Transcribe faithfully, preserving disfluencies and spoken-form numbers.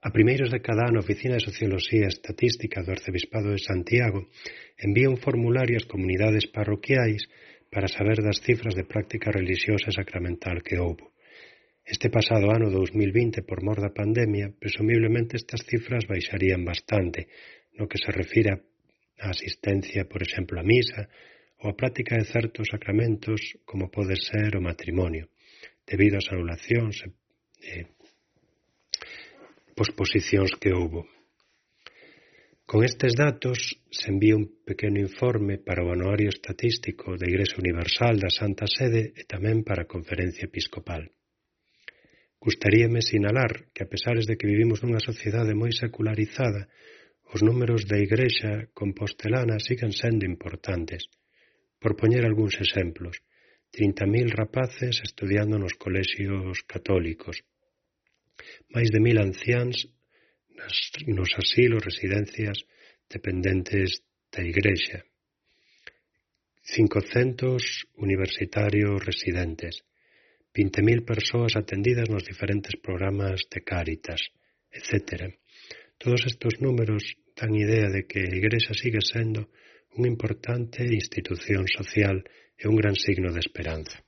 A primeiros de cada ano a Oficina de Socioloxía e Estatística do Arcebispado de Santiago envía un formulario ás comunidades parroquiais para saber das cifras de práctica relixiosa e sacramental que houbo. Este pasado ano dous mil vinte, por mor da pandemia, presumiblemente estas cifras baixarían bastante, no que se refire á asistencia, por exemplo, a misa, ou a práctica de certos sacramentos, como pode ser o matrimonio, debido ás anulacións e posposicións que houbo. Con estes datos se envía un pequeno informe para o Anuario Estatístico da Igrexa Universal da Santa Sede e tamén para a Conferencia Episcopal. Gustaríame sinalar que, a pesares de que vivimos nunha sociedade moi secularizada, os números da Igrexa compostelana siguen sendo importantes. Por poñer algúns exemplos, trinta mil rapaces estudiando nos colexios católicos, máis de mil anciáns nas, nos asilos, residencias dependentes da Igrexa, cincocentos universitarios residentes, vinte mil persoas atendidas nos diferentes programas de Cáritas, etcétera. Todos estes números dan idea de que a Igrexa sigue sendo unha importante institución social e un gran signo de esperanza.